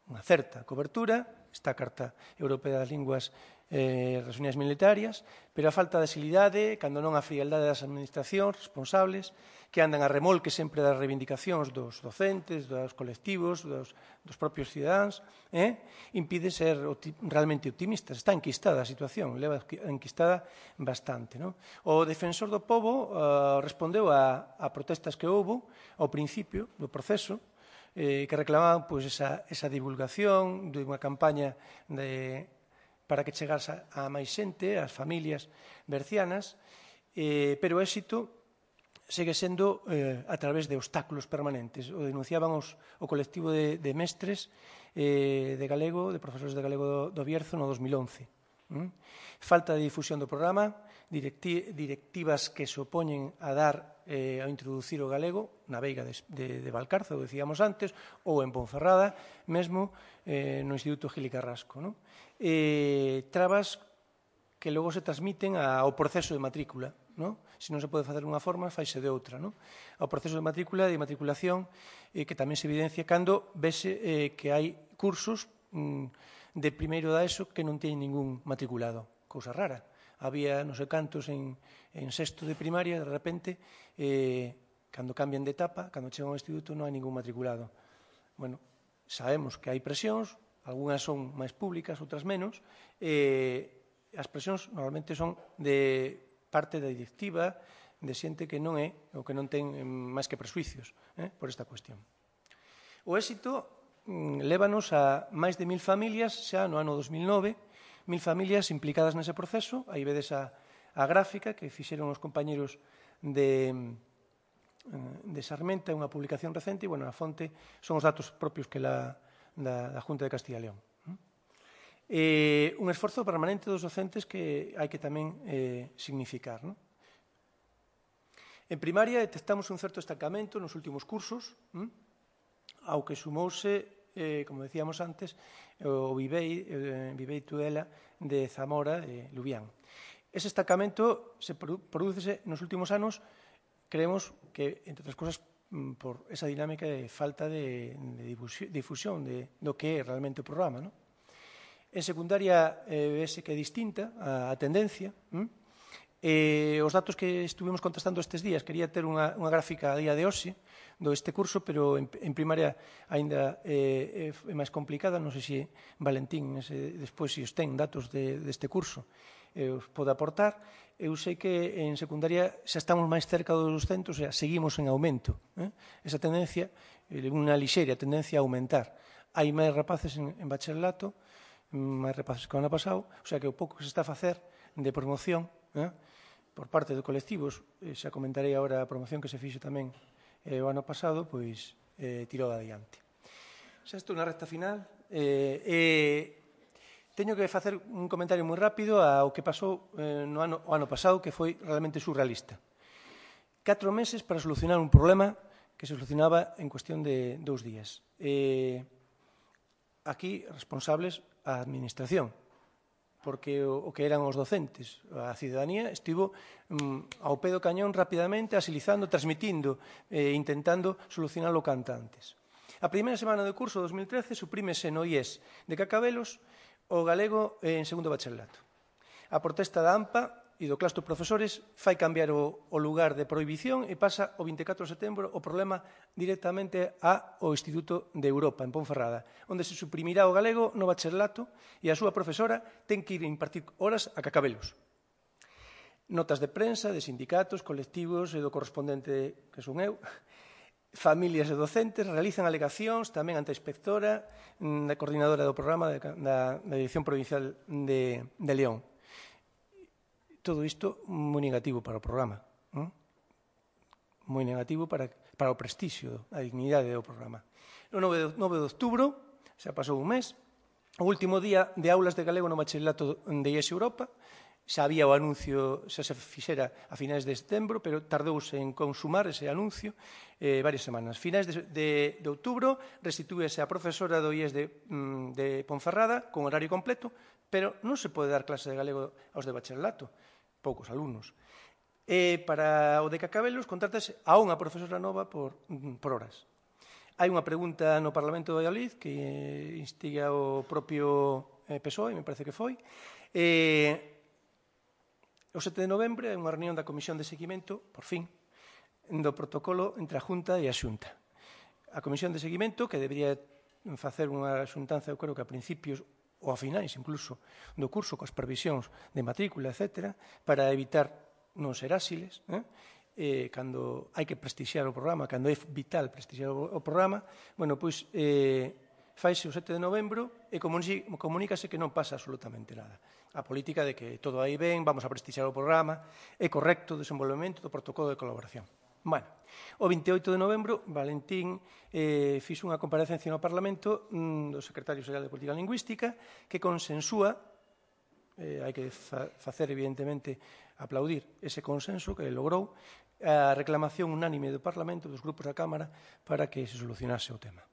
unha certa cobertura, está a Carta Europea das Linguas eh, das Unidades Militarias, pero a falta de agilidade, cando non a frialdade das administracións responsables, que andan a remolque sempre das reivindicacións dos docentes, dos colectivos, dos, dos propios cidadáns, eh, impide ser opti realmente optimistas. Está enquistada a situación, leva enquistada bastante. ¿No? O defensor do pobo uh, respondeu a, a protestas que houbo ao principio do proceso, eh, que reclamaban pois, esa, esa divulgación de unha campaña de, para que chegase a máis xente, ás familias bercianas, eh, pero o éxito segue sendo eh, a través de obstáculos permanentes. O denunciaban os, o colectivo de, de mestres eh, de galego, de profesores de galego do, do Bierzo no dos mil once. ¿Mm? Falta de difusión do programa, directi directivas que se opoñen a dar eh, a introducir o galego na veiga de, de, de Valcarce, o decíamos antes, ou en Ponferrada, mesmo eh, no Instituto Gil y Carrasco. ¿No? Eh, trabas que logo se transmiten ao proceso de matrícula. ¿No? Se non se pode facer unha forma, faise de outra. ¿No? Ao proceso de matrícula e de matriculación eh, que tamén se evidencia cando vese eh, que hai cursos mm, de primeiro da ESO que non teñen ningún matriculado. Cousa rara. Había non sei cantos en, en sexto de primaria, de repente, eh, cando cambian de etapa, cando chegan ao instituto, non hai ningún matriculado. Bueno, sabemos que hai presións, algunhas son máis públicas, outras menos, e eh, as presións normalmente son de parte da directiva, de xente que non é, ou que non ten máis que presuicios eh, por esta cuestión. O éxito mm, lévanos a máis de mil familias xa no ano dos mil nove, mil familias implicadas nese proceso. Aí vedes a, a gráfica que fixeron os compañeros de, de Sarmenta, unha publicación recente, e, bueno, a fonte son os datos propios que la, da, da Junta de Castilla e León. Eh, un esforzo permanente dos docentes que hai que tamén eh, significar. ¿No? En primaria detectamos un certo estancamento nos últimos cursos, ¿m? ao que sumouse, eh, como decíamos antes, o Vivei, eh, Vivei Tudela de Zamora e Lubián. Ese estancamento se prodúcese nos últimos anos, creemos que, entre outras cosas, por esa dinámica de falta de, de difusión de, do que é realmente o programa. ¿No? En secundaria, eh, vese que é distinta a, a tendencia. ¿m? Eh, os datos que estuvimos contestando estes días, quería ter unha, unha gráfica a día de hoxe do este curso, pero en, en primaria aínda eh, é máis complicada. Non sei se Valentín, ese, despois, se os ten datos de, deste curso, eh, os pode aportar. Eu sei que en secundaria xa estamos máis cerca dos centros, e seguimos en aumento. Eh? Esa tendencia, eh, unha lixeira tendencia a aumentar. Hai máis rapaces en, en bacharelato, máis rapaces que o ano pasado, o sea que o pouco que se está a facer de promoción, eh, por parte de colectivos, eh, xa comentarei agora a promoción que se fixo tamén eh, o ano pasado, pois eh, tirou adiante. Xa estou na recta final. Eh, eh, teño que facer un comentario moi rápido ao que pasou eh, no ano, o ano pasado, que foi realmente surrealista. Catro meses para solucionar un problema que se solucionaba en cuestión de dous días. Eh, aquí, responsables, a administración, porque o, o que eran os docentes, a cidadanía, estivo mm, ao pé do cañón rapidamente, asilizando, transmitindo, eh, intentando solucionarlo canto antes. A primeira semana do curso dos dos mil trece suprímese no I E S de Cacabelos o galego en segundo bacharelato. A protesta da AMPA e do claustro de profesores fai cambiar o, o lugar de prohibición e pasa o vinte e catro de setembro o problema directamente ao Instituto de Europa, en Ponferrada, onde se suprimirá o galego no bacharelato e a súa profesora ten que ir a impartir horas a Cacabelos. Notas de prensa, de sindicatos, colectivos e do correspondente, que son eu, familias e docentes, realizan alegacións tamén ante a inspectora da coordinadora do programa da, da Dirección Provincial de, de León. Todo isto moi negativo para o programa, non? Moi negativo para, para o prestixio, a dignidade do programa. O nove de outubro, xa pasou un mes, o último día de aulas de galego no bacharelato de I E S Europa, xa había o anuncio, xa se fixera a finais de setembro, pero tardouse en consumar ese anuncio eh, varias semanas. Finais de, de, de outubro restitúese a profesora do I E S de, de Ponferrada con horario completo, pero non se pode dar clase de galego aos de bacharelato, poucos alumnos. E para o de Cacabelos contrátase a unha profesora nova por, por horas. Hai unha pregunta no Parlamento de Valladolid que instiga o propio P S O E, me parece que foi. E, o sete de novembro hai unha reunión da Comisión de Seguimento, por fin, do protocolo entre a Junta e a Xunta. A Comisión de Seguimento, que debería facer unha xuntanza, eu creo que a principios ou a finais, incluso, do curso, coas previsións de matrícula, etcétera, para evitar non ser áxiles, eh? Eh, cando hai que prestixiar o programa, cando é vital prestixiar o, o programa, bueno, pois, eh, faise o sete de novembro e comunícase que non pasa absolutamente nada. A política de que todo aí ben, vamos a prestixiar o programa, é correcto o desenvolvemento do protocolo de colaboración. Bueno, o vinte e oito de novembro, Valentín eh, fixo unha comparecencia no Parlamento mm, do Secretario Xeral de Política Lingüística que consensúa, eh, hai que fa facer evidentemente aplaudir ese consenso que logrou, a reclamación unánime do Parlamento, dos grupos da Cámara, para que se solucionase o tema.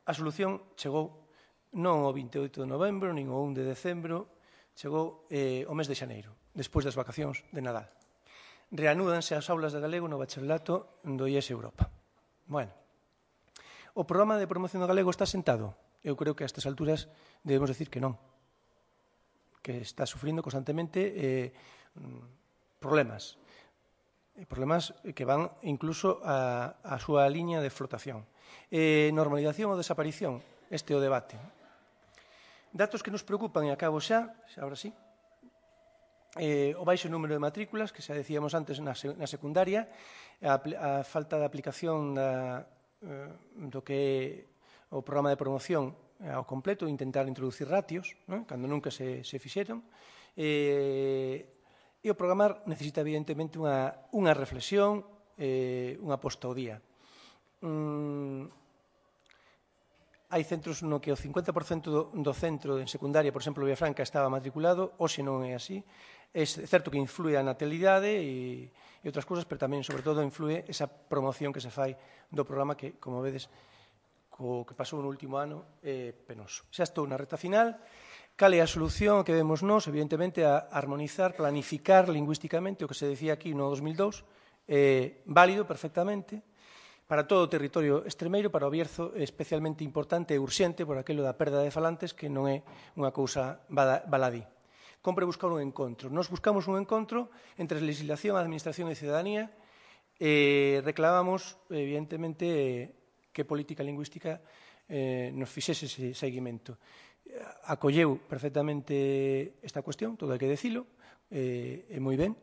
A solución chegou non o vinte e oito de novembro, nin o un de decembro, chegou eh, o mes de xaneiro, despois das vacacións de Nadal. Reanúdanse as aulas de galego no bacharelato do I E S Europa. Bueno, o programa de promoción do galego está sentado? Eu creo que a estas alturas debemos decir que non. Que está sufrindo constantemente eh, problemas. Problemas que van incluso a, a súa liña de flotación. Eh, normalización ou desaparición, este é o debate. Datos que nos preocupan, e acabo xa, agora sí, Eh, o baixo número de matrículas, que xa decíamos antes na, na secundaria, a, a falta de aplicación da, eh, do que é o programa de promoción ao completo, intentar introducir ratios, non? Cando nunca se, se fixeron. Eh, e o programar necesita evidentemente unha, unha reflexión, eh, unha posta ao día. Mm, hai centros no que o cincuenta por cento do, do centro en secundaria, por exemplo, Villafranca, estaba matriculado, hoxe non é así. É certo que influe a natalidade e, e outras cousas, pero tamén, sobre todo, influe esa promoción que se fai do programa que, como vedes, co que pasou no último ano, é penoso. Xa estou na reta final. Cal é a solución que vemos nós? Evidentemente, a armonizar, planificar lingüísticamente, o que se decía aquí no dos mil dous, é válido perfectamente para todo o territorio extremeiro, para o Bierzo especialmente importante e urxente por aquilo da perda de falantes, que non é unha cousa baladí. Compre buscar un encontro. Nos buscamos un encontro entre legislación, administración e ciudadanía e reclamamos, evidentemente, que política lingüística nos fixese ese seguimento. Acolleu perfectamente esta cuestión, todo hai que decilo, e moi ben.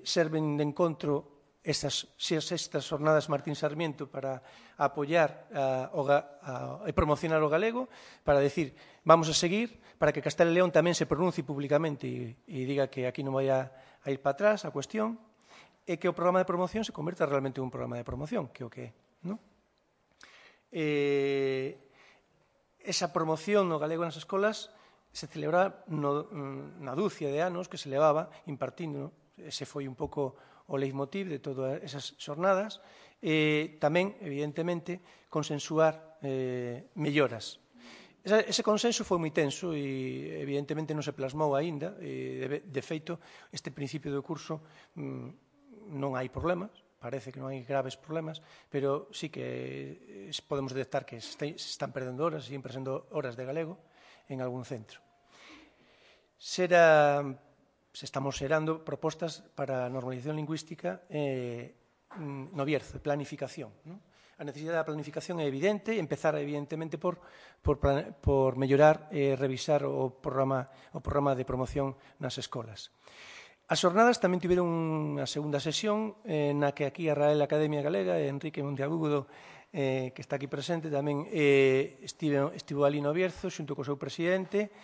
Serven de encontro estas sextas jornadas Martín Sarmiento para apoiar e promocionar o galego, para decir, vamos a seguir, para que Castela e León tamén se pronuncie públicamente e diga que aquí non vai a ir para atrás a cuestión, e que o programa de promoción se converta realmente en un programa de promoción, que é o que é, non? Esa promoción no galego nas escolas se celebra na dúcia de anos que se levaba impartindo. Ese foi un pouco o leitmotiv de todas esas xornadas. Tamén, evidentemente, consensuar melloras. Ese consenso foi moi tenso e, evidentemente, non se plasmou aínda. De feito, este principio do curso non hai problemas. Parece que non hai graves problemas, pero sí que podemos detectar que se están perdendo horas, siguen perdendo horas de galego en algún centro. Se estamos xerando propostas para a normalización lingüística no Bierzo, de planificación. A necesidade da planificación é evidente, empezar evidentemente por mellorar e revisar o programa de promoción nas escolas. As xornadas tamén tiveron unha segunda sesión na que aquí a Real Academia Galega, Enrique Monteagudo, que está aquí presente, tamén estivo ali no Bierzo, xunto co seu presidente,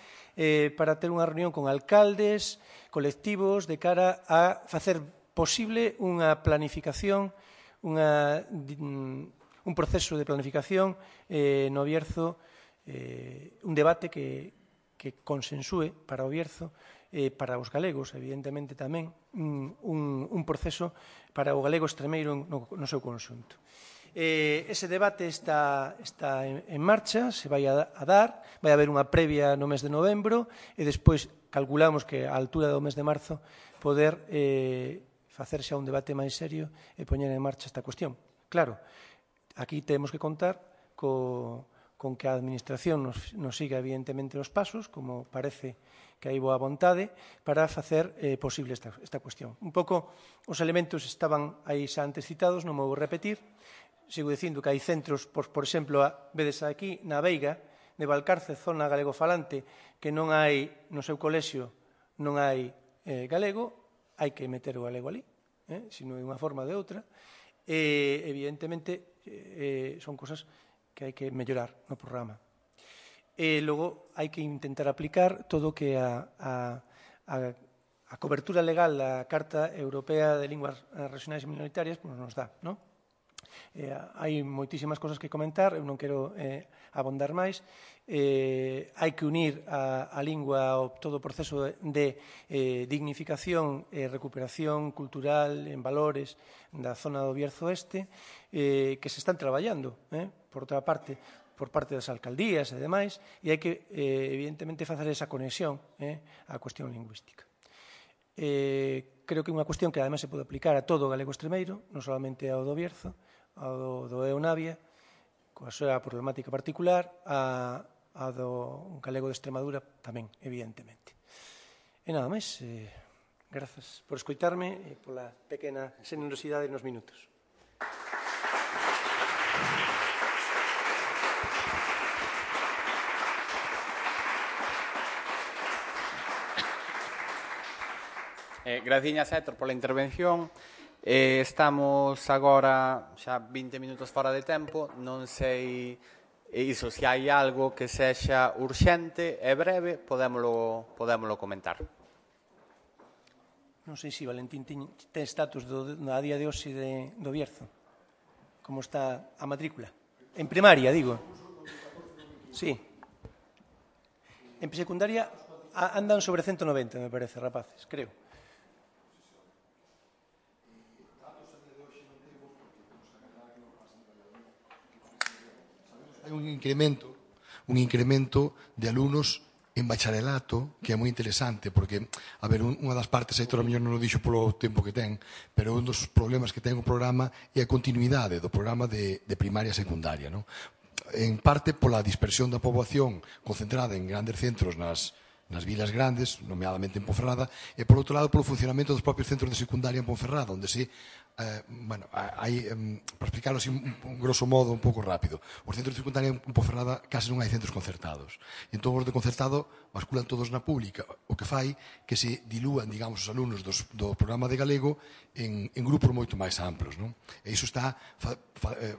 para ter unha reunión con alcaldes, colectivos, de cara a facer posible unha planificación, un proceso de planificación no Bierzo, un debate que consensúe para o Bierzo, para os galegos, evidentemente tamén, un proceso para o galego extremeiro no seu conxunto. Ese debate está en marcha, se vai a dar, vai haber unha previa no mes de novembro e despois calculamos que a altura do mes de marzo poder facer xa un debate máis serio e poñer en marcha esta cuestión. Claro, aquí temos que contar con que a Administración nos siga evidentemente os pasos, como parece que hai boa vontade, para facer posible esta cuestión. Un pouco os elementos estaban aí xa antes citados, non me vou repetir. Sigo dicindo que hai centros, por exemplo, vedes aquí na Veiga, de Valcarce, zona galegofalante, que non hai, no seu colexio, non hai galego, hai que meter o galego ali, se non de unha forma ou de outra. Evidentemente, son cosas que hai que mellorar no programa. E logo hai que intentar aplicar todo o que a cobertura legal da Carta Europea de Linguas Regionais e Minoritarias nos dá. Hai moitísimas cosas que comentar, eu non quero abondar máis. Hai que unir a lingua ao todo o proceso de dignificación e recuperación cultural en valores da zona do Bierzo Oeste, que se están traballando, por outra parte, por parte das alcaldías e demais, e hai que, evidentemente, facer esa conexión á cuestión lingüística. Creo que é unha cuestión que, además, se pode aplicar a todo o galego extremeiro, non solamente ao do Bierzo, ao do Eunavia, coa súa problemática particular, ao do galego de Extremadura tamén, evidentemente. E nada máis, grazas por escoitarme e pola pequena xenerosidade nos minutos. Eh, Graciñas, Héctor, pola intervención. Eh, estamos agora xa vinte minutos fora de tempo. Non sei iso, se hai algo que sexa urxente e breve, podémolo, podémolo comentar. Non sei se Valentín ten estatus do, a día de hoxe de, do Bierzo. Como está a matrícula? En primaria, digo. Sí. En secundaria andan sobre ciento noventa, me parece, rapaces, creo. Hai un incremento, un incremento de alumnos en bacharelato, que é moi interesante, porque, a ver, unha das partes, Héctor, a mellor non o dixo polo tempo que ten, pero un dos problemas que ten o programa é a continuidade do programa de, de primaria e secundaria, non? En parte pola dispersión da poboación concentrada en grandes centros nas, nas vilas grandes, nomeadamente en Ponferrada, e, por outro lado, polo funcionamento dos propios centros de secundaria en Ponferrada, onde se Eh, bueno, hai, um, para explicarlo así un, un grosso modo un pouco rápido, os centros de secundaria en Ponferrada case non hai centros concertados, e entón os de concertado basculan todos na pública, o que fai que se dilúan, digamos, os alumnos dos, do programa de galego en, en grupos moito máis amplos, non? E iso está fa, fa, eh,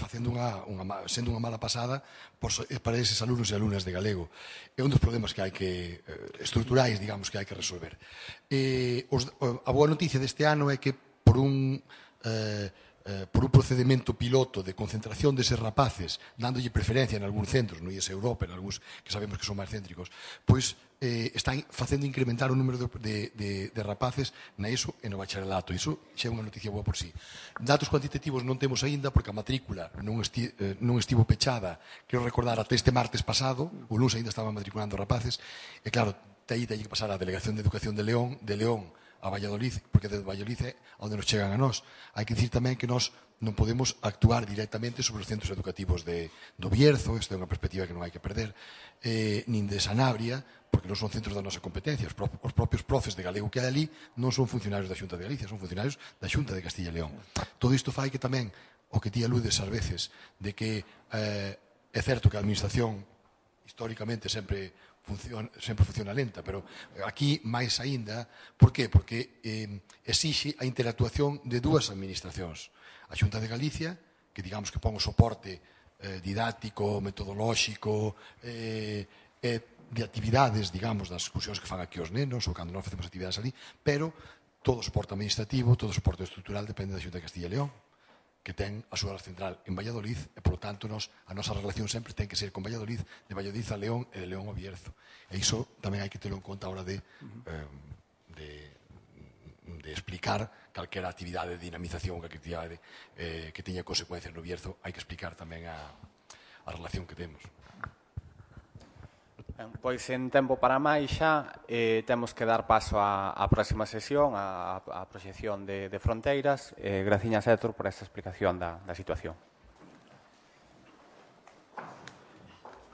facendo unha, unha, sendo unha mala pasada por, para eses alumnos e alumnas de galego. É un dos problemas que hai que, eh, estruturais, digamos, que hai que resolver. Eh, os, a boa noticia deste ano é que por un, eh, eh, por un procedimento piloto de concentración deses rapaces, dándolle preferencia en algúns centros, no I E S Europa, en algúns que sabemos que son máis céntricos, pois eh, están facendo incrementar o número de, de, de, de rapaces na ESO e no bacharelato. Iso xa é unha noticia boa por sí. Datos cuantitativos non temos aínda, porque a matrícula non, esti, eh, non estivo pechada, quero recordar, até este martes pasado, o lunes aínda estaban matriculando rapaces, e claro, aí teñen que pasar a Delegación de Educación de León, de León, a Valladolid, porque de Valladolid é onde nos chegan a nós. Hai que dicir tamén que nós non podemos actuar directamente sobre os centros educativos de, do Bierzo, isto é unha perspectiva que non hai que perder, eh, nin de Sanabria, porque non son centros da nosa competencia. Os, pro, os propios profes de galego que hai ali non son funcionarios da Xunta de Galicia, son funcionarios da Xunta de Castilla e León. Todo isto fai que tamén, o que ti aludes ás veces, de que eh, é certo que a administración históricamente sempre Funciona, sempre funciona lenta, pero aquí máis aínda, por qué? Porque eh, exixe a interactuación de dúas administracións. A Xunta de Galicia, que digamos que pon o soporte eh, didáctico, metodolóxico, eh, eh, de actividades, digamos, das excursións que fan aquí os nenos, ou cando non facemos actividades ali, pero todo o soporte administrativo, todo o soporte estrutural depende da Xunta de Castilla e León, que ten a súa central en Valladolid, e, por lo tanto, nos, a nosa relación sempre ten que ser con Valladolid, de Valladolid a León e de León a Bierzo. E iso tamén hai que telo en conta a hora de, eh, de, de explicar calquera actividade de dinamización, calquera actividade eh, que teña consecuencias no Bierzo, hai que explicar tamén a, a relación que temos. Ben, pois en tempo para máis xa eh, temos que dar paso á, á próxima sesión, á, á proxección de, de fronteiras. Eh, graciñas, Héctor, por esta explicación da, da situación.